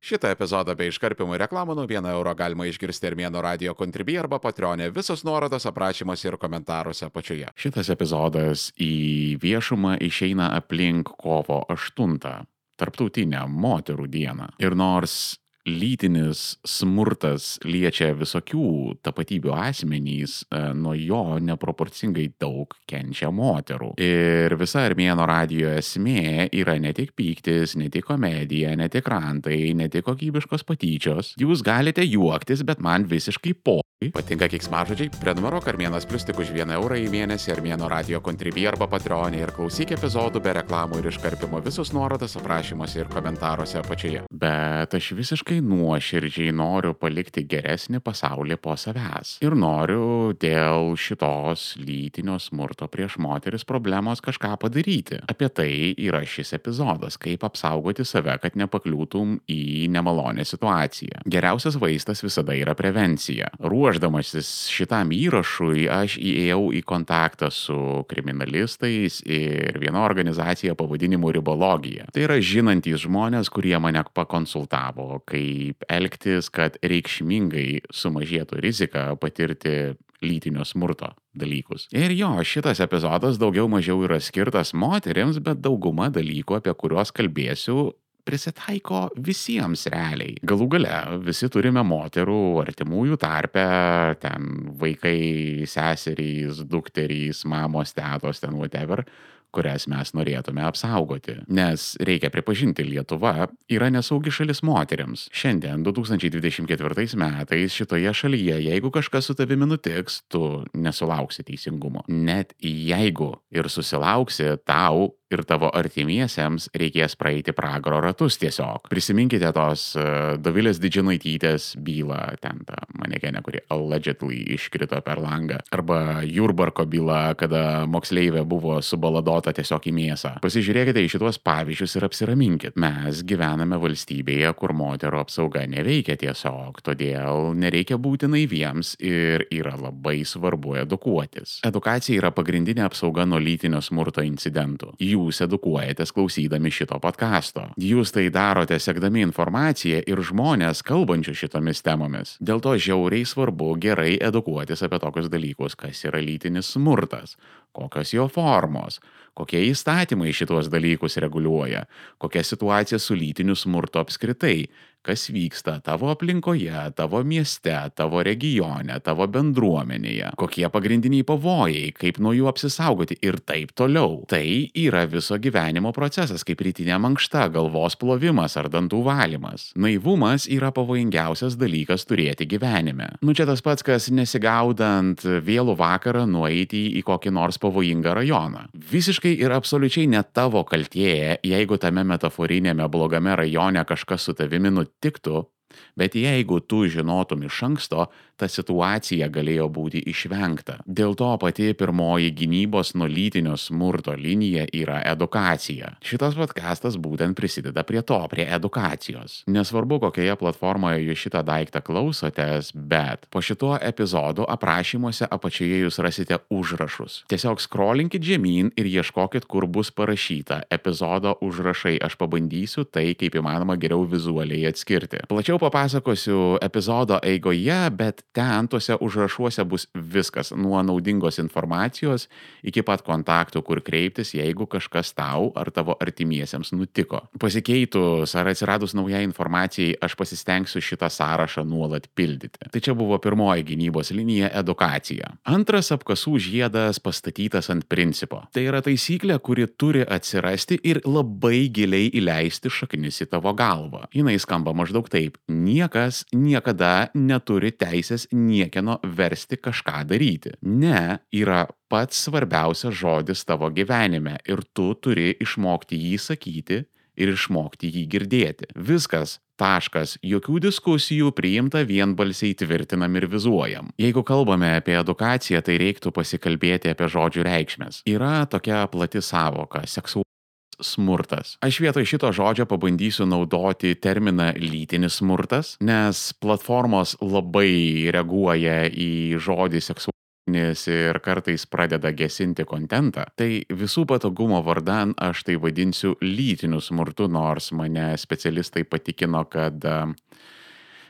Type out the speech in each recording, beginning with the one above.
Šitą epizodą bei iškarpimų reklamų nuo 1 euro galima išgirsti Armėno radio Contribui arba Patreon'e. Visos nuorodos aprašymuose ir komentaruose apačioje. Šitas epizodas į viešumą išeina aplink kovo 8, Tarptautinę moterų dieną. Ir nors lytinis smurtas liečia visokių tapatybių asmenys, nuo jo neproporcingai daug kenčia moterų. Ir visa Armėno radijo esmė yra ne tik pyktis, ne tik komedija, ne tik rantai, ne tik kokybiškos patyčios. Jūs galite juoktis, bet man visiškai Patinka keiksmažodžiai? Prenumeruok Armėnas Plius tik už 1 eurą į mėnesį Armėno radio Contribui arba Patreon'e ir klausyk epizodų be reklamų ir iškarpimo. Visus nuorodas aprašymuose ir komentaruose apačioje. Bet aš visiškai nuoširdžiai noriu palikti geresnį pasaulį po savęs. Ir noriu dėl šitos lytinio smurto prieš moteris problemos kažką padaryti. Apie tai yra šis epizodas, kaip apsaugoti save, kad nepakliūtum į nemalonę situaciją. Geriausias vaistas visada yra prevencija. Ruošdamasis šitam įrašui, aš įėjau į kontaktą su kriminalistais ir viena organizacija pavadinimu Ribologija. Tai yra žinantys žmonės, kurie mane pakonsultavo, kaip elgtis, kad reikšmingai sumažėtų rizika patirti lytinio smurto dalykus. Ir jo, šitas epizodas daugiau mažiau yra skirtas moterims, bet dauguma dalykų, apie kuriuos kalbėsiu, prisitaiko visiems realiai. Galų gale visi turime moterų artimųjų tarpe, ten vaikai, seserys, dukterys, mamos, tetos, ten whatever, kurias mes norėtume apsaugoti. Nes reikia pripažinti, Lietuva yra nesaugi šalis moteriams. Šiandien, 2024 metais, šitoje šalyje, jeigu kažkas su tavimi nutiks, tu nesulauksi teisingumo. Net jeigu ir susilauksi, tau ir tavo artimiesiems reikės praeiti pragaro ratus tiesiog. Prisiminkite tos Dovilės Didžinaitytės bylą, ten ta manekenė, kuri allegedly iškrito per langą. Arba Jurbarko byla, kada moksleivė buvo subaladota tiesiog į mėsą. Pasižiūrėkite į šitos pavyzdžius ir apsiraminkit. Mes gyvename valstybėje, kur moterų apsauga neveikia tiesiog, todėl nereikia būti naiviems ir yra labai svarbu edukuotis. Edukacija yra pagrindinė apsauga nuo lytinio smurto incidentų. Jūs edukuojatės klausydami šito podcasto. Jūs tai darote sekdami informaciją ir žmonės kalbančių šitomis temomis. Dėl to žiauriai svarbu gerai edukuotis apie tokius dalykus, kas yra lytinis smurtas, kokios jo formos, kokie įstatymai šitos dalykus reguliuoja, kokia situacija su lytiniu smurtu apskritai, kas vyksta tavo aplinkoje, tavo mieste, tavo regione, tavo bendruomenėje, kokie pagrindiniai pavojai, kaip nuo jų apsisaugoti ir taip toliau. Tai yra viso gyvenimo procesas, kaip rytinė mankšta, galvos plovimas ar dantų valymas. Naivumas yra pavojingiausias dalykas turėti gyvenime. Čia tas pats, kas nesigaudant vėlų vakarą nueiti į kokį nors pavojingą rajoną. Visiškai ir absoliučiai ne tavo kaltė, jeigu tame metaforinėme blogame rajone kažkas su tavimi nutiktų, bet jeigu tu žinotum iš anksto, ta situacija galėjo būti išvengta. Dėl to pati pirmoji gynybos nuo lytinio smurto linija yra edukacija. Šitas podcastas būtent prisideda prie to, prie edukacijos. Nesvarbu, kokioje platformoje jūs šitą daiktą klausotės, bet po šituo epizodu aprašymuose apačioje jūs rasite užrašus. Tiesiog scrollinkit žemyn ir ieškokit, kur bus parašyta epizodo užrašai. Aš pabandysiu tai, kaip įmanoma geriau vizualiai atskirti. Plačiau papasakosiu epizodo eigoje, bet ten tuose užrašuose bus viskas, nuo naudingos informacijos iki pat kontaktų, kur kreiptis, jeigu kažkas tau ar tavo artimiesiems nutiko. Pasikeitus ar atsiradus naujai informacijai, aš pasistengsiu šitą sąrašą nuolat pildyti. Tai čia buvo pirmoji gynybos linija - edukacija. Antras apkasų žiedas pastatytas ant principo. Tai yra taisyklė, kuri turi atsirasti ir labai giliai įleisti šaknis į tavo galvą. Jinai skamba maždaug taip: niekas niekada neturi teisės niekieno versti kažką daryti. Ne yra pats svarbiausias žodis tavo gyvenime ir tu turi išmokti jį sakyti ir išmokti jį girdėti. Viskas. Taškas. Jokių diskusijų, priimta vienbalsiai, tvirtinam ir vizuojam. Jeigu kalbame apie edukaciją, tai reiktų pasikalbėti apie žodžių reikšmes. Yra tokia plati savoka - seksualumas. Smurtas. Aš vietoj šito žodžio pabandysiu naudoti terminą lytinis smurtas, nes platformos labai reaguoja į žodį seksualumas ir kartais pradeda gesinti kontentą, tai visų patogumo vardan aš tai vadinsiu lytiniu smurtu, nors mane specialistai patikino, kad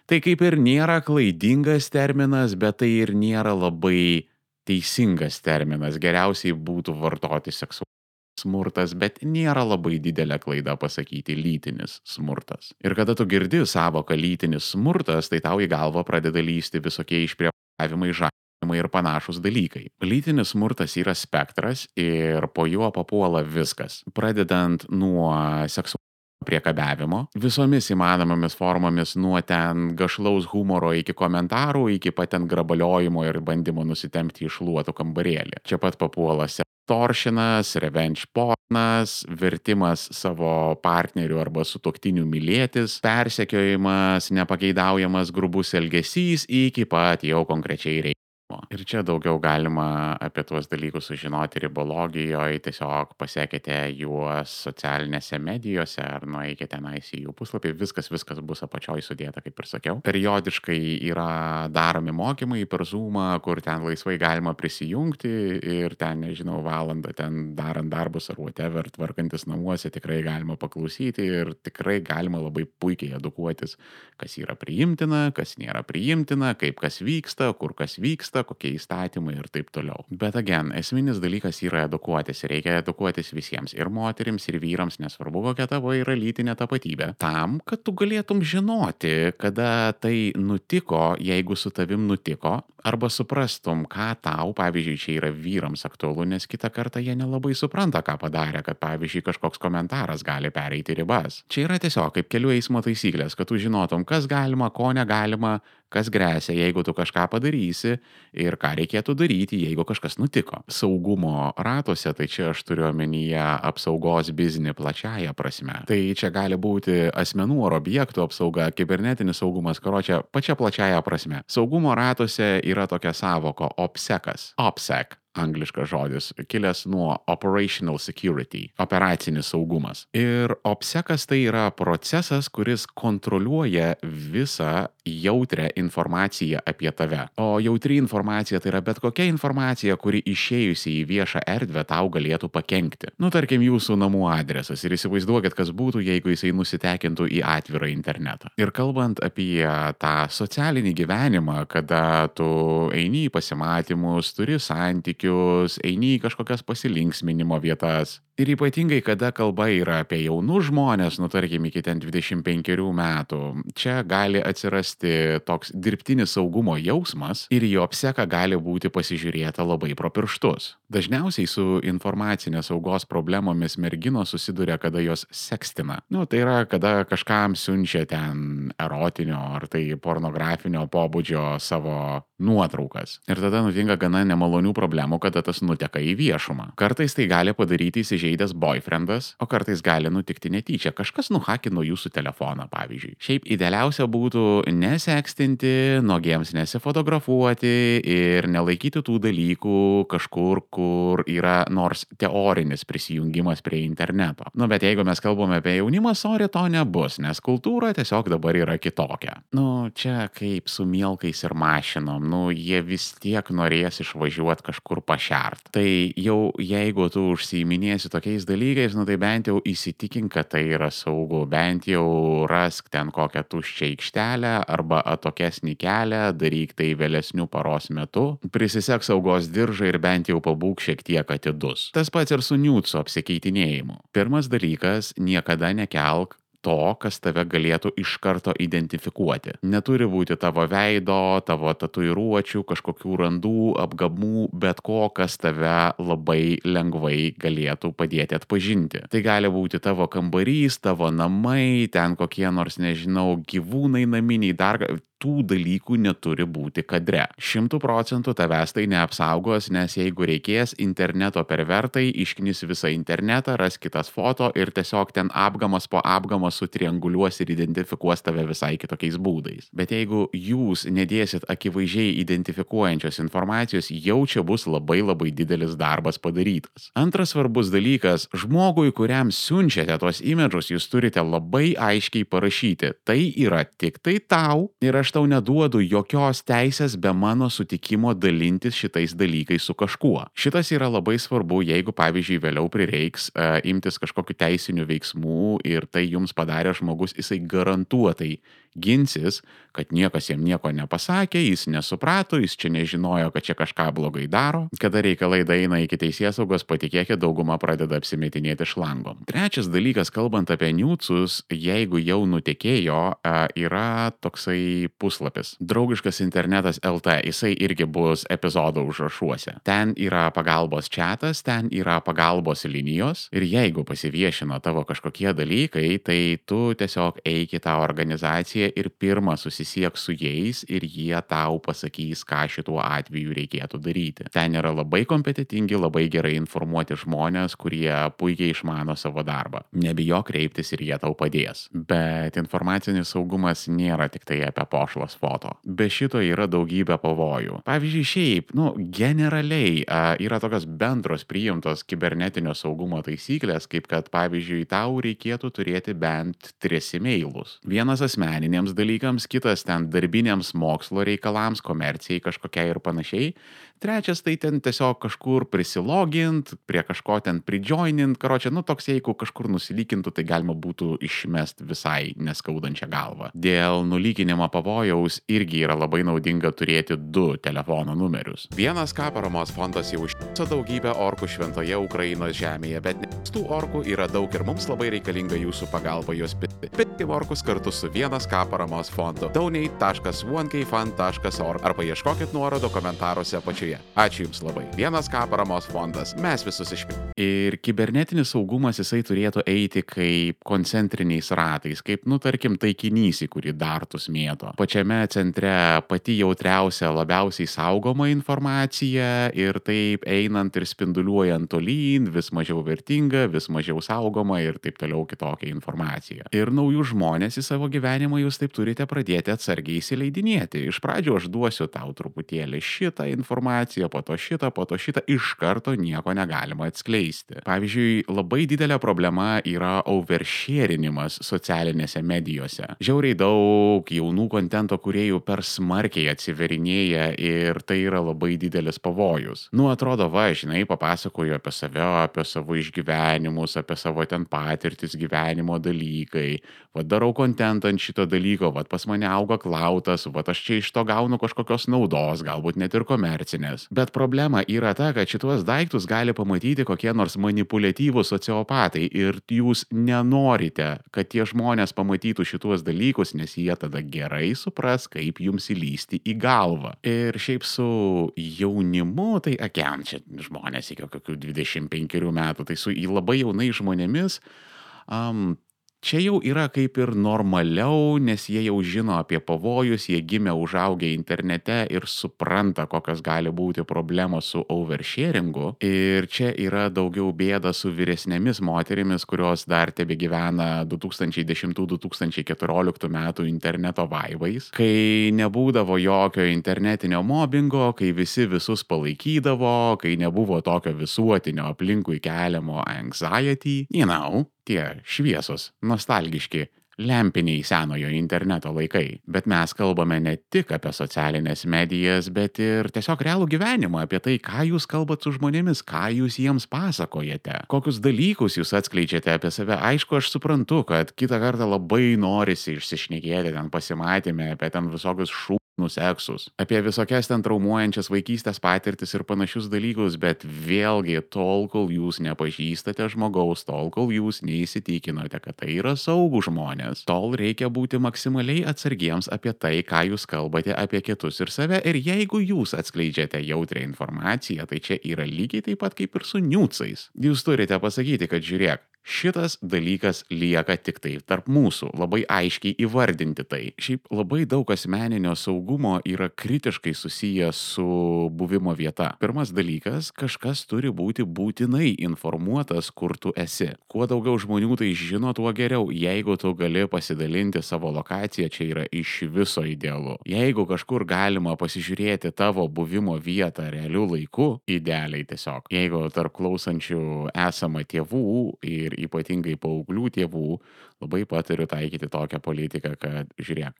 tai kaip ir nėra klaidingas terminas, bet tai ir nėra labai teisingas terminas. Geriausiai būtų vartoti seksualinį smurtas, bet nėra labai didelė klaida pasakyti lytinis smurtas. Ir kada tu girdi savoką lytinis smurtas, tai tau į galvą pradeda lysti visokie išprievartavimai, žaidimai ir panašūs dalykai. Lytinis smurtas yra spektras ir po juo papuola viskas, pradedant nuo seksualinio priekabiavimo, visomis įmanomomis formomis nuo ten gašlaus humoro iki komentarų, iki pat ten grabaliojimo ir bandymo nusitempti iš šluotų kambarėlį. Čia pat papuola toršinas, revenge pornas, vertimas savo partnerių arba sutuoktinių mylėtis, persekiojimas, nepageidaujamas grubus elgesys iki pat jau konkrečiai reikimo. Ir čia daugiau galima apie tuos dalykus sužinoti ribologijoje, tiesiog pasiekite juos socialinėse medijose ar nueikite tenais į jų puslapį, viskas bus apačioj sudėta, kaip ir sakiau. Periodiškai yra daromi mokymai per Zoomą, kur ten laisvai galima prisijungti ir ten, nežinau, valandą ten darant darbus ar whatever, tvarkantis namuose, tikrai galima paklausyti ir tikrai galima labai puikiai edukuotis, kas yra priimtina, kas nėra priimtina, kaip kas vyksta, kur kas vyksta, kokie įstatymai ir taip toliau. Bet again, esminis dalykas yra edukuotis. Reikia edukuotis visiems, ir moterims, ir vyrams, nesvarbu kokia tavo yra lytinė tapatybė, tam, kad tu galėtum žinoti, kada tai nutiko, jeigu su tavim nutiko, arba suprastum, ką tau, pavyzdžiui, čia yra vyrams aktualu, nes kitą kartą jie nelabai supranta, ką padarė, kad, pavyzdžiui, kažkoks komentaras gali pereiti ribas. Čia yra tiesiog kaip kelių eismo taisyklės, kad tu žinotum, kas galima, ko negalima, kas gresia, jeigu tu kažką padarysi ir ką reikėtų daryti, jeigu kažkas nutiko. Saugumo ratuose, tai čia aš turiu omenyje apsaugos biznį plačiaja prasme. Tai čia gali būti asmenų ar objektų apsauga, kibernetinis saugumas, karočią, pačia plačiaja prasme. Saugumo ratuose yra tokia savoka OPSECas. OPSEC. Angliškas žodis, kilęs nuo operational security, operacinis saugumas. Ir OPSECas tai yra procesas, kuris kontroliuoja visą jautrią informaciją apie tave. O jautri informacija tai yra bet kokia informacija, kuri išėjusi į viešą erdvę tau galėtų pakenkti. Nu, tarkim, jūsų namų adresas ir įsivaizduokit, kas būtų, jeigu jisai nusitekintų į atvirą internetą. Ir kalbant apie tą socialinį gyvenimą, kada tu eini į pasimatymus, turi santykius, eini į kažkokias pasilinksminimo vietas. Ir ypatingai, kada kalba yra apie jaunus žmonės, nu tarkim, iki ten 25 metų, čia gali atsirasti toks dirbtinis saugumo jausmas ir į OPSECą gali būti pasižiūrėta labai pro pirštus. Dažniausiai su informacinės saugos problemomis merginos susiduria, kada jos sekstina. Nu, tai yra, kada kažkam siunčia ten erotinio ar tai pornografinio pobūdžio savo nuotraukas. Ir tada nutinka gana nemalonių problemų, kada tas nuteka į viešumą. Kartais tai gali padaryti įsižeidęs boyfriendas, o kartais gali nutikti netyčia. Kažkas nuhakino jūsų telefoną, pavyzdžiui. Šiaip idealiausia būtų nesekstinti, nuogiems nesifotografuoti ir nelaikyti tų dalykų kažkur, kur yra nors teorinis prisijungimas prie interneto. Nu, bet jeigu mes kalbame apie jaunimą, sorry, to nebus, nes kultūra tiesiog dabar yra kitokia. Nu, čia kaip su mielkais ir mašinom, nu, jie vis tiek norės išvažiuoti kažkur pašert. Tai jau jeigu tu užsiiminėsi tokiais dalykais, nu, tai bent jau įsitikink, kad tai yra saugu, bent jau rask ten kokią tuščią aikštelę arba atokesnį kelią, daryk tai vėlesniu paros metu, prisisek saugos diržą ir bent jau pabūk šiek tiek atidus. Tas pats ir su niūdsų apsikeitinėjimu. Pirmas dalykas, niekada nekelk to, kas tave galėtų iš karto identifikuoti. Neturi būti tavo veido, tavo tatuiruočių, kažkokių randų, apgamų, bet ko, kas tave labai lengvai galėtų padėti atpažinti. Tai gali būti tavo kambarys, tavo namai, ten kokie nors, nežinau, gyvūnai naminiai, dar tų dalykų neturi būti kadre. 100% tavęs tai neapsaugos, nes jeigu reikės, interneto pervertai išknis visą internetą, ras kitas foto ir tiesiog ten apgamas po apgamos sutrianguliuos ir identifikuos tave visai kitokiais būdais. Bet jeigu jūs nedėsit akivaizdžiai identifikuojančios informacijos, jau čia bus labai didelis darbas padarytas. Antras svarbus dalykas, žmogui, kuriam siunčiate tos imidžus, jūs turite labai aiškiai parašyti, tai yra tik tai tau ir aš tau neduodu jokios teisės be mano sutikimo dalintis šitais dalykais su kažkuo. Šitas yra labai svarbu, jeigu, pavyzdžiui, vėliau prireiks imtis kažkokių teisinių veiksmų ir tai jums padarė žmogus, jisai garantuotai ginsis, kad niekas jam nieko nepasakė, jis nesuprato, jis čia nežinojo, kad čia kažką blogai daro. Kada reikalai daeina iki teisėsaugos, patikėkit, dauguma pradeda apsimetinėti šlangom. Trečias dalykas, kalbant apie niucus, jeigu jau nutekėjo, yra toksai puslapis. Draugiškas internetas LT, jisai irgi bus epizodo užrašuose. Ten yra pagalbos chatas, ten yra pagalbos linijos ir jeigu pasiviešino tavo kažkokie dalykai, tai tu tiesiog eik į tą organizaciją ir pirmą susisiek su jais ir jie tau pasakys, ką šituo atveju reikėtų daryti. Ten yra labai kompetitingi, labai gerai informuoti žmonės, kurie puikiai išmano savo darbą. Nebijok kreiptis ir jie tau padės. Bet informacinis saugumas nėra tik tai apie pošlas foto. Be šito yra daugybė pavojų. Pavyzdžiui, šiaip, generaliai yra tokios bendros priimtos kibernetinio saugumo taisyklės, kaip kad, pavyzdžiui, tau reikėtų turėti bent 3 emailus. Vienas asmeniniams dalykams, kitas ten darbiniams mokslo reikalams, komercijai kažkokiai ir panašiai. Trečias tai ten tiesiog kažkur prisilogint, prie kažko ten pridžoinint, toks jeigu kažkur nusilykintų, tai galima būtų išmest visai neskaudančią galvą. Dėl nulykinimo pavojaus irgi yra labai naudinga turėti 2 telefono numerius. Vienas ką paramos fondas jau užšyso daugybę orkų šventoje Ukrainos žemėje, bet tų orkų yra daug ir mums labai reikalinga jūsų pagalba juos pitti. Pitti orkus kartu su vienas ką paramos fondu. donate.1kfund.org arba ieškokit nuorodo komentaruose apačioje. Ačiū Jums labai. Vienas ką paramos fondas. Mes visus išpirkime. Ir kibernetinis saugumas jisai turėtų eiti kaip koncentriniais ratais, kaip, tarkim, taikinys, į kurį dartus mėto. Pačiame centre pati jautriausia, labiausiai saugoma informacija ir taip einant ir spinduliuojant tolyn, vis mažiau vertinga, vis mažiau saugoma ir taip toliau kitokia informacija. Ir naujus žmonės į savo gyvenimą jūs taip turite pradėti atsargiai įsileidinėti. Iš pradžių aš duosiu tau truputėlį šitą informaciją, po to šitą, iš karto nieko negalima atskleisti. Pavyzdžiui, labai didelė problema yra oversharinimas socialinėse medijose. Žiauriai daug jaunų kontento kūrėjų per smarkiai atsiverinėja ir tai yra labai didelis pavojus. Atrodo, papasakoju apie save, apie savo išgyvenimus, apie savo ten patirtis, gyvenimo dalykai. Darau kontentą ant šito dalyko, pas mane auga klautas, aš čia iš to gaunu kažkokios naudos, galbūt net ir komercinės. Bet problema yra ta, kad šitos daiktus gali pamatyti kokie nors manipuliatyvūs sociopatai ir jūs nenorite, kad tie žmonės pamatytų šitos dalykus, nes jie tada gerai supras, kaip jums įlysti į galvą. Ir šiaip su jaunimu, tai čia žmonės iki kokių 25 metų, tai su labai jaunais žmonėmis, čia jau yra kaip ir normaliau, nes jie jau žino apie pavojus, jie gimė užaugę internete ir supranta, kokios gali būti problemos su oversharingu. Ir čia yra daugiau bėda su vyresnėmis moterimis, kurios dar tebegyvena 2010-2014 metų interneto vaibais, kai nebūdavo jokio internetinio mobbingo, kai visi visus palaikydavo, kai nebuvo tokio visuotinio aplinkui keliamo anxiety, tie šviesos, nostalgiški, lempiniai senojo interneto laikai. Bet mes kalbame ne tik apie socialinės medijas, bet ir tiesiog realų gyvenimą, apie tai, ką jūs kalbat su žmonėmis, ką jūs jiems pasakojate, kokius dalykus jūs atskleidžiate apie save. Aišku, aš suprantu, kad kitą kartą labai norisi išsišnekėti ten pasimatymę apie ten visokius seksus, apie visokias ten traumuojančias vaikystės patirtis ir panašius dalykus, bet vėlgi tol, kol jūs nepažįstate žmogaus, tol, kol jūs neįsitikinote, kad tai yra saugūs žmonės, tol reikia būti maksimaliai atsargiems apie tai, ką jūs kalbate apie kitus ir save. Ir jeigu jūs atskleidžiate jautrią informaciją, tai čia yra lygiai taip pat kaip ir su niucais. Jūs turite pasakyti, kad žiūrėk, šitas dalykas lieka tik tai tarp mūsų, labai aiškiai įvardinti tai. Šiaip labai daug asmeninio saugumo yra kritiškai susijęs su buvimo vieta. Pirmas dalykas, kažkas turi būti būtinai informuotas, kur tu esi. Kuo daugiau žmonių tai žino, tuo geriau. Jeigu tu gali pasidalinti savo lokaciją, čia yra iš viso idealu. Jeigu kažkur galima pasižiūrėti tavo buvimo vietą realiu laiku, idealiai tiesiog. Jeigu tarp klausančių esama tėvų ir ypatingai paauglių tėvų, labai patariu taikyti tokią politiką, kad žiūrėk,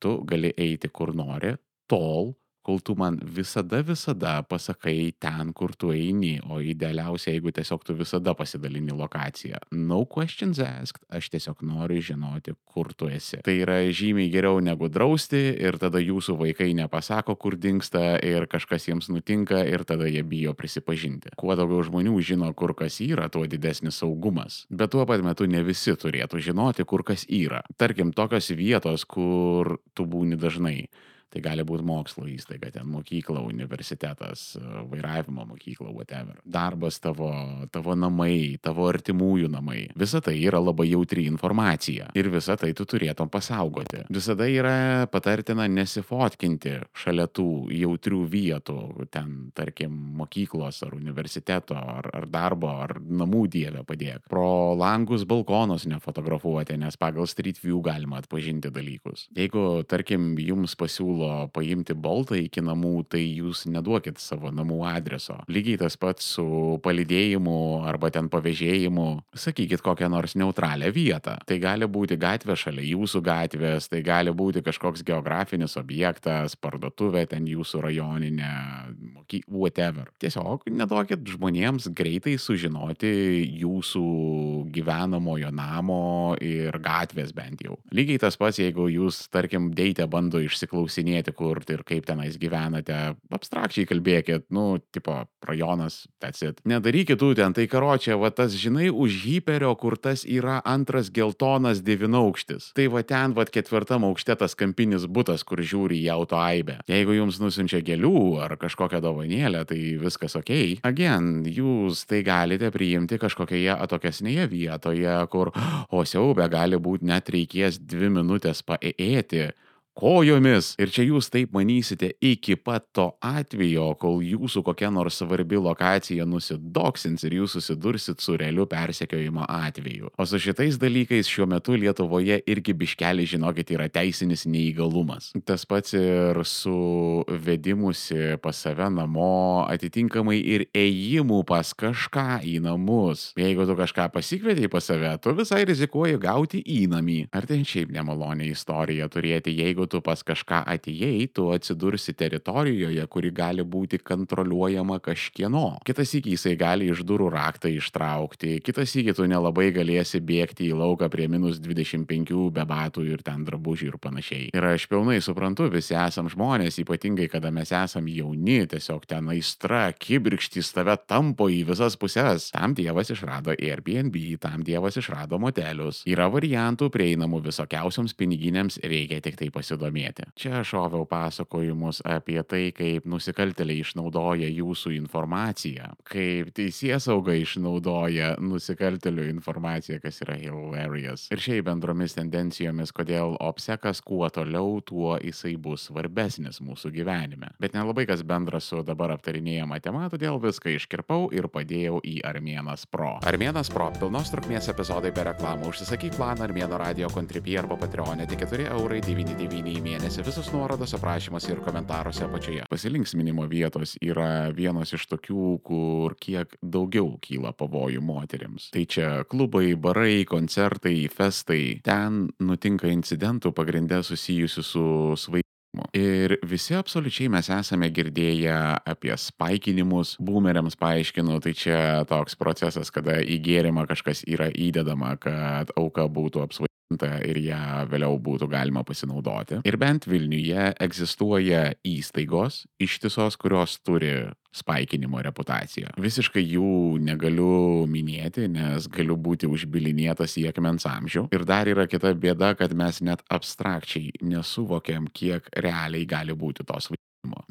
tu gali eiti kur nori, tol, kol tu man visada pasakai ten, kur tu eini, o idealiausia, jeigu tiesiog tu visada pasidalini lokaciją. No questions asked, aš tiesiog noriu žinoti, kur tu esi. Tai yra žymiai geriau negu drausti ir tada jūsų vaikai nepasako, kur dingsta ir kažkas jiems nutinka ir tada jie bijo prisipažinti. Kuo daugiau žmonių žino, kur kas yra, tuo didesnis saugumas. Bet tuo pat metu ne visi turėtų žinoti, kur kas yra. Tarkim, tokios vietos, kur tu būni dažnai. Tai gali būti mokslo įstaiga, ten mokykla, universitetas, vairavimo mokykla, whatever. Darbas tavo namai, tavo artimųjų namai. Visa tai yra labai jautri informacija. Ir visą tai tu turėtum pasaugoti. Visada yra patartina nesifotkinti šalia tų jautrių vietų, ten, tarkim, mokyklos ar universiteto, ar darbo, ar namų dievę padėk. Pro langus balkonus nefotografuoti, nes pagal Street View galima atpažinti dalykus. Jeigu, tarkim, jums pasiūlo paimti boltą iki namų, tai jūs neduokit savo namų adreso. Lygiai tas pats su palydėjimu arba ten pavėžėjimu. Sakykit kokią nors neutralią vietą. Tai gali būti gatvė šalia jūsų gatvės, tai gali būti kažkoks geografinis objektas, parduotuvė ten jūsų rajoninė, whatever. Tiesiog neduokit žmonėms greitai sužinoti jūsų gyvenamojo namo ir gatvės bent jau. Lygiai tas pats, jeigu jūs, tarkim, deite bando išsiklausinėti, kur ir kaip tenais gyvenate, abstrakčiai kalbėkit, tipo, rajonas, that's it. Nedarykit tų ten, tai karočią, va tas, žinai, už hiperio, kur tas yra antras geltonas 9-aukštis. Tai va ten, va 4 aukšte tas kampinis butas, kur žiūri į auto aibę. Jeigu jums nusiunčia gėlių ar kažkokią dovanėlę, tai viskas okei. Again, jūs tai galite priimti kažkokioje atokesnėje vietoje, kur, o siaubė, gali būti net reikės 2 minutės paėti kojomis. Ir čia jūs taip manysite iki pat to atvejo, kol jūsų kokia nors svarbi lokacija nusidoksins ir jūs susidursit su realiu persekiojimo atveju. O su šitais dalykais šiuo metu Lietuvoje irgi biškelį, žinokit, yra teisinis neįgalumas. Tas pats ir su vedimusi pas save namo, atitinkamai ir ėjimu pas kažką į namus. Jeigu tu kažką pasikvietei pas save, tu visai rizikuoji gauti įnamį. Ar tai šiaip nemalonė istorija turėti, jeigu tu pas kažką atėjai, tu atsidursi teritorijoje, kuri gali būti kontroliuojama kažkieno. Kitas sykį jisai gali iš durų raktą ištraukti, kitas sykį tu nelabai galėsi bėgti į lauką prie -25 be batų ir ten drabužių ir panašiai. Ir aš pilnai suprantu, visi esam žmonės, ypatingai kada mes esam jauni, tiesiog ten aistra, kibirkštys tave tampo į visas puses. Tam Dievas išrado Airbnb, tam Dievas išrado motelius. Yra variantų prieinamų visokiausioms piniginėms, reikia tik tai pasidomėti. Čia šoviau pasakojimus apie tai, kaip nusikaltėliai išnaudoja jūsų informaciją, kaip teisėsauga išnaudoja nusikaltėlių informaciją, kas yra hilarious. Ir šiaip bendromis tendencijomis, kodėl obsekas kuo toliau, tuo jisai bus svarbesnis mūsų gyvenime. Bet nelabai kas bendras su dabar aptarinėjama tema, todėl viską iškirpau ir padėjau į Armėnas Pro. Armėnas Pro, pilnos trukmės epizodai be reklamų. Užsisakyk planą Armėno radio Contribui arba Patreonė, tik 4,99 €. Į mėnesį, visos nuorodos aprašymuose ir komentaruose apačioje. Pasilinksminimo vietos yra vienos iš tokių, kur kiek daugiau kyla pavojų moterims. Tai čia klubai, barai, koncertai, festai. Ten nutinka incidentų pagrinde susijusių su svaigimu. Ir visi absoliučiai mes esame girdėję apie spaikinimus. Boomeriams paaiškinu, tai čia toks procesas, kada į gėrimą kažkas yra įdedama, kad auka būtų apsvaiginta ir ją vėliau būtų galima pasinaudoti. Ir bent Vilniuje egzistuoja įstaigos ištisos, kurios turi spaikinimo reputaciją. Visiškai jų negaliu minėti, nes galiu būti užbilinėtas į akmens amžių. Ir dar yra kita bėda, kad mes net abstrakčiai nesuvokiam, kiek realiai gali būti tos vaikų.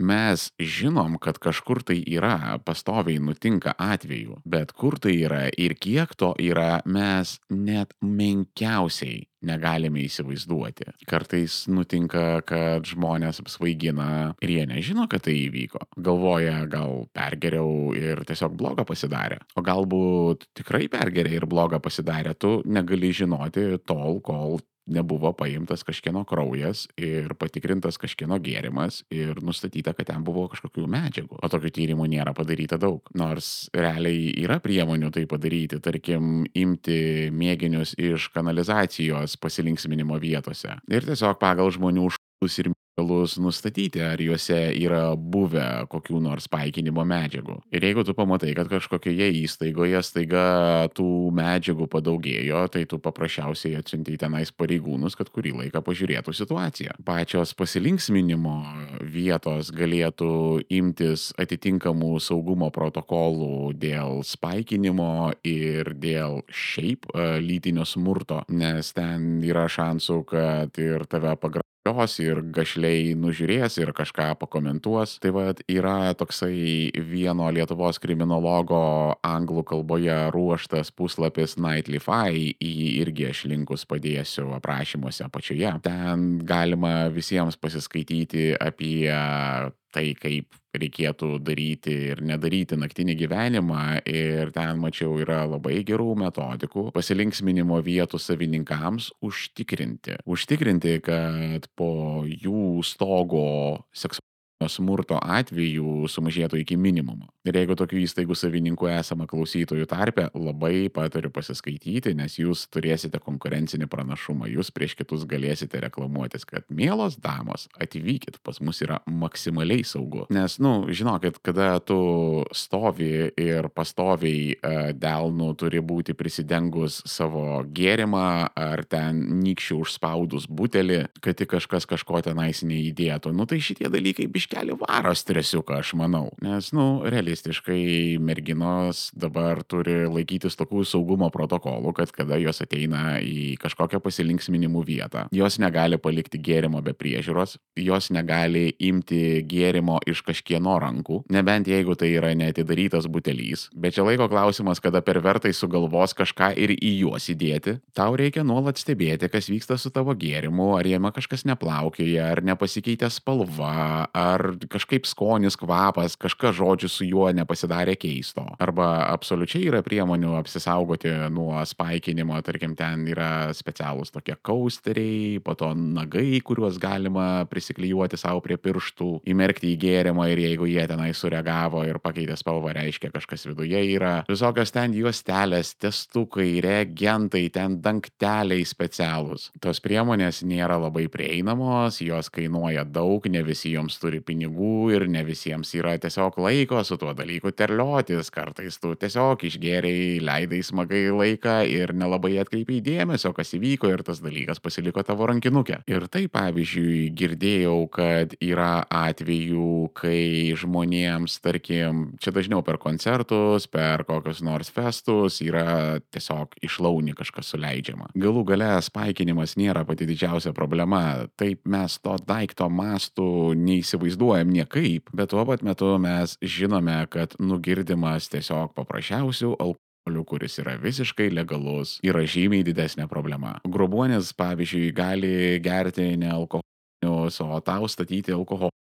Mes žinom, kad kažkur tai yra, pastoviai nutinka atvejų, bet kur tai yra ir kiek to yra, mes net menkiausiai negalime įsivaizduoti. Kartais nutinka, kad žmonės apsvaigina ir jie nežino, kad tai įvyko. Galvoja, gal pergeriau ir tiesiog blogą pasidarė. O galbūt tikrai pergeriai ir blogą pasidarė, tu negali žinoti tol, kol nebuvo paimtas kažkieno kraujas ir patikrintas kažkieno gėrimas ir nustatyta, kad ten buvo kažkokių medžiagų. O tokių tyrimų nėra padaryta daug. Nors realiai yra priemonių tai padaryti, tarkim, imti mėginius iš kanalizacijos pasilinksminimo vietose ir tiesiog pagal žmonių ir mineralus nustatyti, ar juose yra buvę kokių nors paikinimo medžiagų. Ir jeigu tu pamatai, kad kažkokioje įstaigoje staiga tų medžiagų padaugėjo, tai tu paprasčiausiai atsiunti tenais pareigūnus, kad kurį laiką pažiūrėtų situaciją. Pačios pasilinksminimo vietos galėtų imtis atitinkamų saugumo protokolų dėl spaikinimo ir dėl šiaip lytinio smurto, nes ten yra šansų, kad ir tave pagrobs ir gašliai nužiūrės ir kažką pakomentuos. Tai vat yra toksai vieno Lietuvos kriminologo anglų kalboje ruoštas puslapis Nightlyfy, į jį irgi aš linkus padėsiu aprašymuose apačioje. Ten galima visiems pasiskaityti apie tai, kaip reikėtų daryti ir nedaryti naktinį gyvenimą, ir ten mačiau yra labai gerų metodikų pasilinksminimo vietų savininkams užtikrinti, kad po jų stogo seksualinio smurto atvejų sumažėtų iki minimumo. Ir jeigu tokių įstaigų savininkų esama klausytojų tarpe, labai patariu pasiskaityti, nes jūs turėsite konkurencinį pranašumą, jūs prieš kitus galėsite reklamuotis, kad mielos damos, atvykit, pas mus yra maksimaliai saugu. Nes, žinokit, kada tu stovi ir pastoviai delnu turi būti prisidengus savo gėrimą ar ten nykščių užspaudus butelį, kad tik kažkas kažko tenais neįdėtų, tai šitie dalykai biškelį varo stresiuką, aš manau. Nes, realistiškai merginos dabar turi laikytis tokių saugumo protokolų, kad kada jos ateina į kažkokią pasilinksminimų vietą, jos negali palikti gėrimo be priežiūros, jos negali imti gėrimo iš kažkieno rankų, nebent jeigu tai yra neatidarytas butelys. Bet čia laiko klausimas, kada pervertai sugalvos kažką ir į juos įdėti. Tau reikia nuolat stebėti, kas vyksta su tavo gėrimu, ar jame kažkas neplaukioja, ar nepasikeitė spalva, ar kažkaip skonis, kvapas, kažkas žodžiu su juo nepasidarė keisto. Arba absoliučiai yra priemonių apsisaugoti nuo spaikinimo, tarkim, ten yra specialūs tokie kausteriai, po to nagai, kuriuos galima prisiklijuoti savo prie pirštų, įmerkti į gėrimą ir jeigu jie tenai sureagavo ir pakeitė spalvą, reiškia kažkas viduje yra. Visokios ten juostelės, testukai, reagentai, ten dangteliai specialūs. Tos priemonės nėra labai prieinamos, jos kainuoja daug, ne visi joms turi pinigų ir ne visiems yra tiesiog laiko su tuo dalyku terliotis. Kartais tu tiesiog išgėrei, leidai smagai laiką ir nelabai atkreipiai dėmesio, kas įvyko, ir tas dalykas pasiliko tavo rankinuke. Ir tai, pavyzdžiui, girdėjau, kad yra atvejų, kai žmonėms, tarkim, čia dažniau per koncertus, per kokius nors festus yra tiesiog išlauni kažkas suleidžiama. Galų gale spaikinimas nėra pati didžiausia problema. Taip mes to daikto mastų neįsivaizduojam niekaip, bet tuo pat metu mes žinome, kad nugirdimas tiesiog paprasčiausių alkoholių, kuris yra visiškai legalus, yra žymiai didesnė problema. Grobuonis, pavyzdžiui, gali gerti ne alkoholinius, o tau statyti alkoholinius.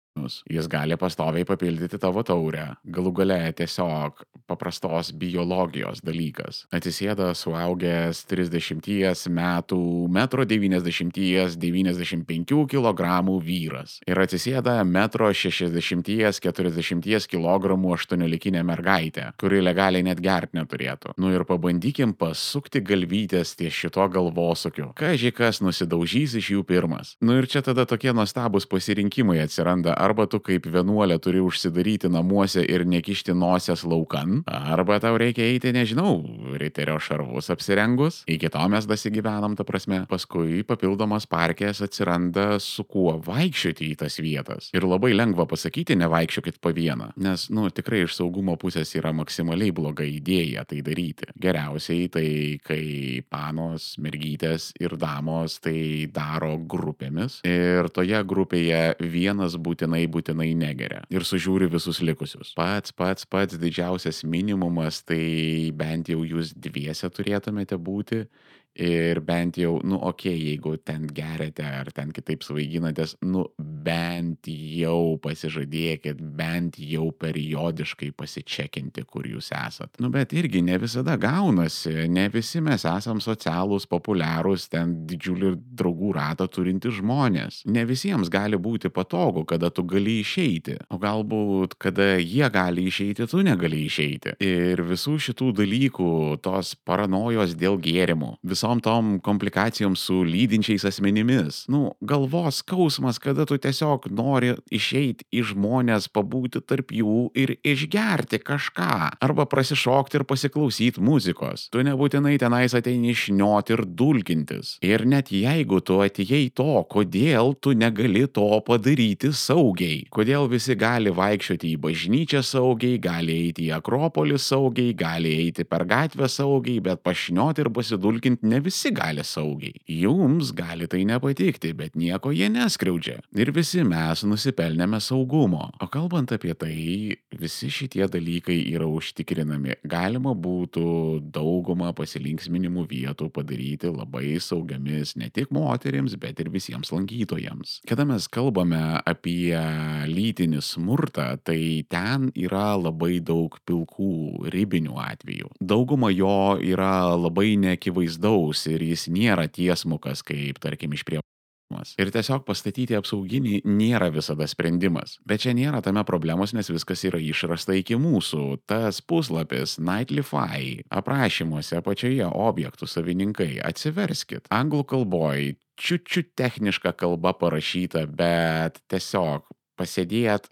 Jis gali pastoviai papildyti tavo taurę. Galų gale tiesiog paprastos biologijos dalykas. Atsisėda suaugęs 30 metų, 1,90 m, 95 kg vyras. Ir atsisėda 1,60 m, 40 kg 18-likinė mergaitė, kuri legaliai net gert neturėtų. Ir pabandykim pasukti galvytės ties šito galvosukiu. Kaži kas nusidaužys iš jų pirmas. Ir čia tada tokie nuostabūs pasirinkimai atsiranda. Arba tu kaip vienuolė turi užsidaryti namuose ir nekišti nosies laukan, arba tau reikia eiti, nežinau, riterio šarvus apsirengus. Iki to mes dasigyvenam, ta prasme. Paskui papildomas parkės atsiranda su kuo vaikščioti į tas vietas. Ir labai lengva pasakyti, nevaikščiokit po vieną. Nes, tikrai iš saugumo pusės yra maksimaliai bloga idėja tai daryti. Geriausiai tai, kai panos, mergytės ir damos tai daro grupėmis. Ir toje grupėje vienas būtinai negeria ir sužiūri visus likusius. Pats didžiausias minimumas, tai bent jau jūs dviese turėtumėte būti. Ir bent jau, jeigu ten geriate ar ten kitaip svaiginatės, bent jau pasižadėkit, bent jau periodiškai pasičekinti, kur jūs esat. Bet irgi ne visada gaunasi, ne visi mes esam socialūs, populiarūs, ten didžiulį draugų ratą turinti žmonės. Ne visiems gali būti patogu, kada tu gali išeiti, o galbūt kada jie gali išeiti, tu negali išeiti. Ir visų šitų dalykų, tos paranojos dėl gėrimų, viso visom tom komplikacijom su lydinčiais asmenimis. Nu, galvos skausmas, kada tu tiesiog nori išeiti į žmonės, pabūti tarp jų ir išgerti kažką. Arba prasišokti ir pasiklausyti muzikos. Tu nebūtinai tenais ateini šnioti ir dulkintis. Ir net jeigu tu atėjai to, kodėl tu negali to padaryti saugiai? Kodėl visi gali vaikščioti į bažnyčią saugiai, gali eiti į Akropolį saugiai, gali eiti per gatvę saugiai, bet pašnioti ir pasidulkinti ne visi gali saugiai. Jums gali tai nepatikti, bet nieko jie neskriaudžia. Ir visi mes nusipelnėme saugumo. O kalbant apie tai, visi šitie dalykai yra užtikrinami. Galima būtų daugumą pasilinksminimų vietų padaryti labai saugiamis ne tik moterims, bet ir visiems lankytojams. Kada mes kalbame apie lytinį smurtą, tai ten yra labai daug pilkų ribinių atvejų. Dauguma jo yra labai neakivaizdaus ir jis nėra tiesmukas, kaip tarkim išprievartavimas. Ir tiesiog pastatyti apsauginį nėra visada sprendimas. Bet čia nėra tame problemos, nes viskas yra išrasta iki mūsų. Tas puslapis Nightlify aprašymuose apačioje objektų savininkai. Atsiverskit. Anglų kalboj čiut techniška kalba parašyta, bet tiesiog pasėdėt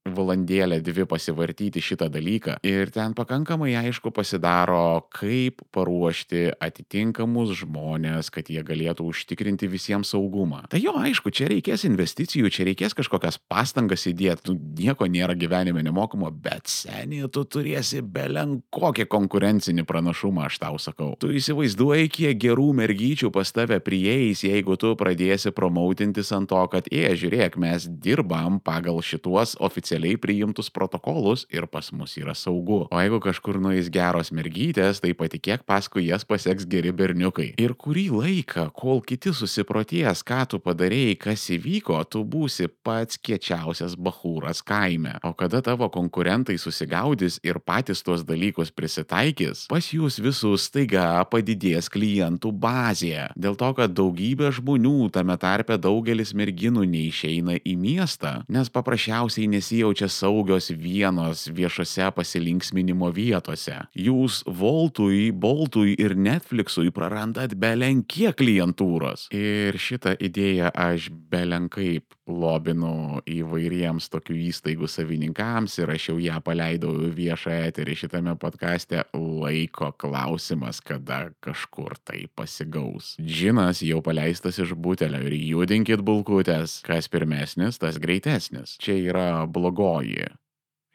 valandėlę dvi pasivartyti šitą dalyką ir ten pakankamai aišku pasidaro, kaip paruošti atitinkamus žmonės, kad jie galėtų užtikrinti visiems saugumą. Tai jo, aišku, čia reikės investicijų, čia reikės kažkokias pastangas įdėti, nieko nėra gyvenime nemokamo, bet seniai tu turėsi belenkokį konkurencinį pranašumą, aš tau sakau. Tu įsivaizduoji, kiek gerų mergyčių pas tave prieis, jeigu tu pradėsi promautintis ant to, kad, žiūrėk, mes dirbam pagal šituos oficialiai priimtus protokolus ir pas mus yra saugu. O jeigu kažkur nueis geros mergytės, tai patikėk, paskui jas paseks geri berniukai. Ir kurį laiką, kol kiti susiproties, ką tu padarėjai, kas įvyko, tu būsi pats kiečiausias bachūras kaime. O kada tavo konkurentai susigaudys ir patys tuos dalykus prisitaikys, pas jūs visus staiga padidės klientų bazė. Dėl to, kad daugybė žmonių, tame tarpe daugelis merginų, neišeina į miestą, nes paprasčiausiai nesijaučia saugios vienos viešose pasilinksminimo vietose. Jūs Voltui, Boltui ir Netflixui prarandat belenkiek klientūros. Ir šitą idėją aš belenkaip lobinu įvairiems tokių įstaigų savininkams ir aš jau ją paleidau viešą eterį šitame podcaste. Laiko klausimas, kada kažkur tai pasigaus. Džinas jau paleistas iš butelio ir judinkit bulkutės. Kas pirmesnis, tas greitesnis. Čia yra blogoji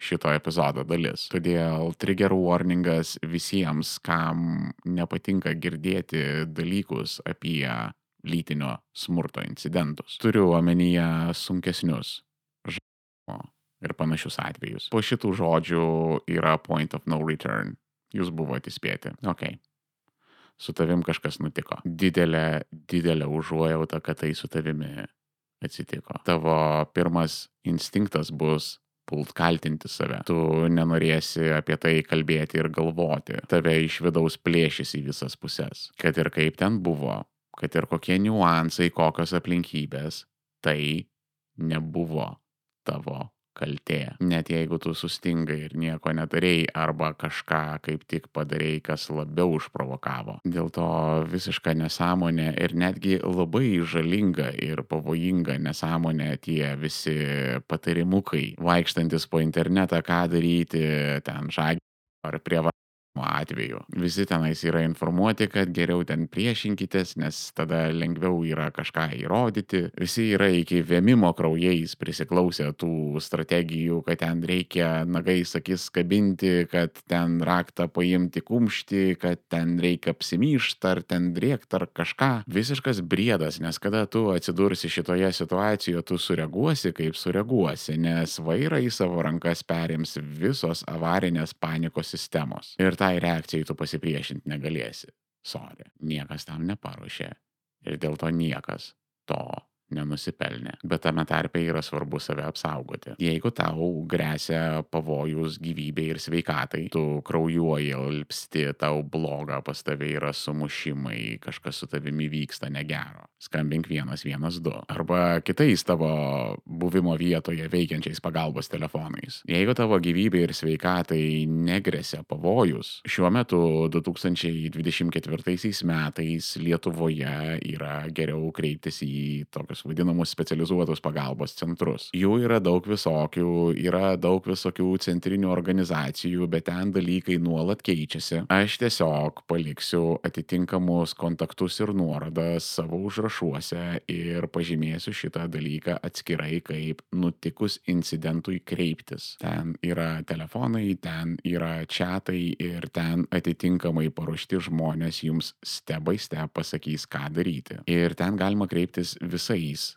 šito epizodo dalis. Todėl trigger warningas visiems, kam nepatinka girdėti dalykus apie lytinio smurto incidentus. Turiu omenyje sunkesnius žaidimo ir panašius atvejus. Po šitų žodžių yra point of no return. Jūs buvote įspėti. Ok. Su tavim kažkas nutiko. Didelė užuojauta, kad tai su tavimi atsitiko. Tavo pirmas instinktas bus pult kaltinti save. Tu nenorėsi apie tai kalbėti ir galvoti. Tave iš vidaus plėšys į visas puses. Kad ir kaip ten buvo, kad ir kokie niuansai, kokios aplinkybės, tai nebuvo tavo kaltė. Net jeigu tu sustingai ir nieko nedarėjai arba kažką kaip tik padarėjai, kas labiau užprovokavo. Dėl to visiška nesąmonė ir netgi labai žalinga ir pavojinga nesąmonė tie visi patarimukai, vaikštantis po internetą, ką daryti, ten žagį ar prievartavimo atveju. Visi tenais yra informuoti, kad geriau ten priešinkitės, nes tada lengviau yra kažką įrodyti. Visi yra iki vėmimo kraujais prisiklausę tų strategijų, kad ten reikia nagais akis kabinti, kad ten raktą paimti kumštį, kad ten reikia apsimyšti ar ten rėkti ar kažką. Visiškas briedas, nes kada tu atsidursi šitoje situacijoje, tu sureaguosi kaip sureaguosi, nes vairą į savo rankas perims visos avarinės panikos sistemos. Ir tai reakcijai tu pasipriešinti negalėsi. Sorry, niekas tam neparuošė. Ir dėl to niekas to nenusipelnė. Bet tame tarpe yra svarbu save apsaugoti. Jeigu tau gresia pavojus gyvybei ir sveikatai, tu kraujuoji, alpsti, tau bloga, pas tave yra sumušimai, kažkas su tavimi vyksta negero, skambink 112. Arba kitais tavo buvimo vietoje veikiančiais pagalbos telefonais. Jeigu tavo gyvybei ir sveikatai negresia pavojus, šiuo metu 2024 metais Lietuvoje yra geriau kreiptis į tokius vadinamus specializuotus pagalbos centrus. Jų yra daug visokių, yra daug visokių centrinių organizacijų, bet ten dalykai nuolat keičiasi. Aš tiesiog paliksiu atitinkamus kontaktus ir nuorodas savo užrašuose ir pažymėsiu šitą dalyką atskirai, kaip nutikus incidentui kreiptis. Ten yra telefonai, ten yra chatai ir ten atitinkamai paruošti žmonės jums step by step pasakys, ką daryti. Ir ten galima kreiptis visais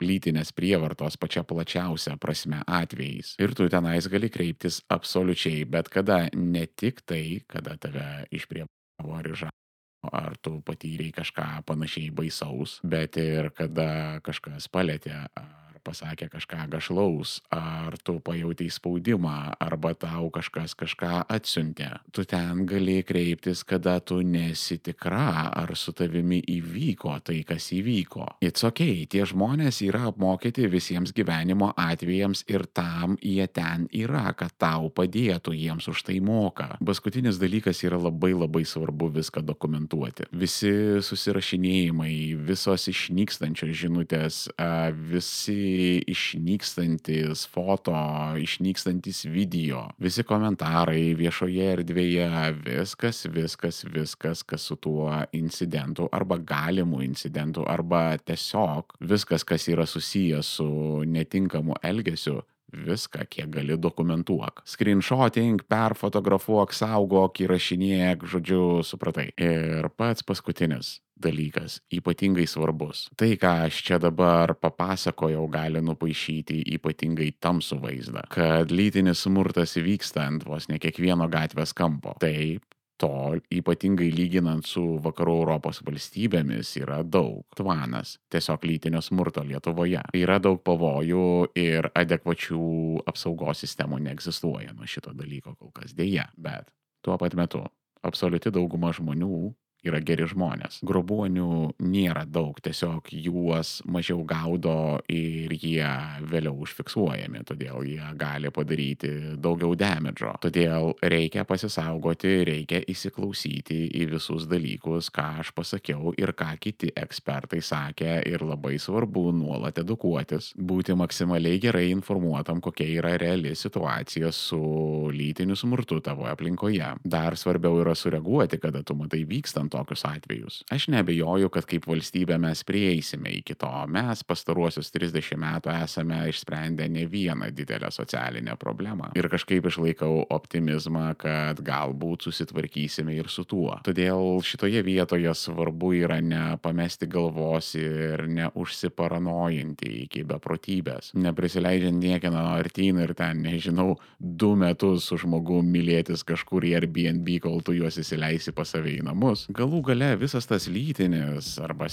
lytinės prievartos pačia plačiausia prasme atvejais. Ir tu tenais gali kreiptis absoliučiai bet kada, ne tik tai, kada tave išprievartavo ar išžagino, ar tu patyrei kažką panašiai baisaus, bet ir kada kažkas palėtė, ar pasakė kažką gašlaus, ar tu pajautai spaudimą, arba tau kažkas kažką atsiuntė. Tu ten gali kreiptis, kada tu nesi tikra, ar su tavimi įvyko tai, kas įvyko. It's okay, tie žmonės yra apmokyti visiems gyvenimo atvejams ir tam jie ten yra, kad tau padėtų, jiems už tai moka. Paskutinis dalykas yra labai svarbu viską dokumentuoti. Visi susirašinėjimai, visos išnykstančios žinutės, visi išnykstantis foto, išnykstantis video, visi komentarai viešoje erdvėje, viskas, kas su tuo incidentu arba galimu incidentu arba tiesiog viskas, kas yra susijęs su netinkamu elgesiu, viską, kiek gali, dokumentuok. Screenshoting, perfotografuok, saugok, įrašinėk, žodžiu, supratai. Ir pats paskutinis dalykas, ypatingai svarbus. Tai, ką aš čia dabar papasakojau, gali nupaišyti ypatingai tamsų vaizdą, kad lytinis smurtas vyksta ant vos ne kiekvieno gatvės kampo. Taip, to ypatingai lyginant su vakarų Europos valstybėmis yra daug. Tvanas tiesiog lytinio smurto Lietuvoje. Yra daug pavojų ir adekvačių apsaugos sistemų neegzistuoja nuo šito dalyko kol kas deja, bet tuo pat metu absoliuti dauguma žmonių yra geri žmonės. Grobuonių nėra daug, tiesiog juos mažiau gaudo ir jie vėliau užfiksuojami, todėl jie gali padaryti daugiau damedžo. Todėl reikia pasisaugoti, reikia įsiklausyti į visus dalykus, ką aš pasakiau ir ką kiti ekspertai sakė, ir labai svarbu nuolat edukuotis, būti maksimaliai gerai informuotam, kokia yra reali situacija su lytiniu smurtu tavo aplinkoje. Dar svarbiau yra sureaguoti, kada tu matai vykstant tokius atvejus. Aš neabejoju, kad kaip valstybė mes prieisime iki to. Mes pastaruosius 30 metų esame išsprendę ne vieną didelę socialinę problemą. Ir kažkaip išlaikau optimizmą, kad galbūt susitvarkysime ir su tuo. Todėl šitoje vietoje svarbu yra nepamesti galvos ir neužsiparanojinti iki beprotybės. Neprisileidžiant niekieno artyn ir ten, nežinau, 2 metus su žmogum mylėtis kažkur į Airbnb, kol tu juos įsileisi pas save į namus. Galų gale visas tas lytinis arba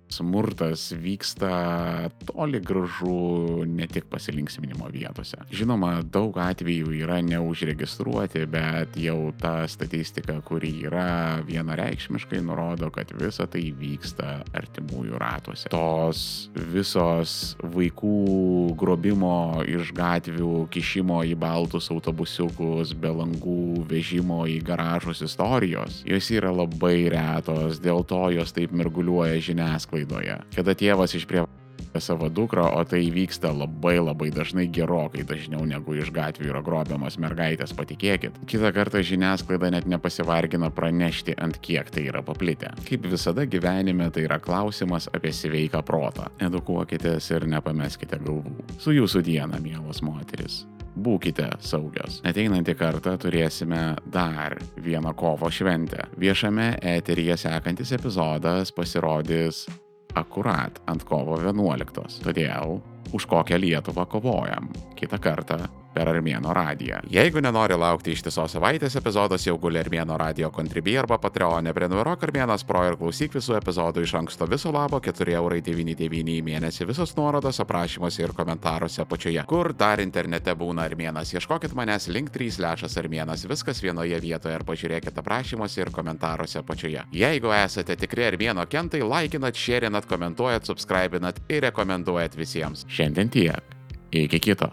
smurtas vyksta toli gražu ne tik pasilinksminimo vietose. Žinoma, daug atvejų yra neužregistruoti, bet jau ta statistika, kuri yra, vienareikšmiškai nurodo, kad visa tai vyksta artimųjų ratuose. Tos visos vaikų grobimo iš gatvių, kišimo į baltus autobusiukus, be langų, vežimo į garažus istorijos, jos yra labai retos, dėl to jos taip mirguliuoja žiniasklaidoje. Kada tėvas išprievartauja savo dukrą, o tai vyksta labai dažnai, gerokai dažniau negu iš gatvių yra grobiamas mergaitės, patikėkit. Kitą kartą žiniasklaida net nepasivargina pranešti, ant kiek tai yra paplitę. Kaip visada gyvenime, tai yra klausimas apie sveiką protą. Edukuokitės ir nepameskite galvų. Su jūsų diena, mielos moteris. Būkite saugios. Ateinantį kartą turėsime dar vieną kovo šventę. Viešame eteryje sekantis epizodas pasirodys akurat ant kovo 11. Todėl už kokią Lietuvą kovojam. Kitą kartą per Armėno radiją. Jeigu nenori laukti ištisos savaitės, epizodas jau guli Armėno radio Contribui arba Patreon'e. Prenumeruok Armėnas Pro ir klausyk visų epizodų iš anksto. Viso labo 4,99 € į mėnesį. Visos nuorodos aprašymuose ir komentaruose apačioje. Kur dar internete būna Armėnas? Ieškokit manęs link3/Armėnas. Viskas vienoje vietoje ir pažiūrėkit aprašymuose ir komentaruose apačioje. Jeigu esate tikri Armėno kentai, laikinat, šėrinat, komentuojat, subscribinat ir rekomenduojat visiems. Šiandien tiek. Iki kito.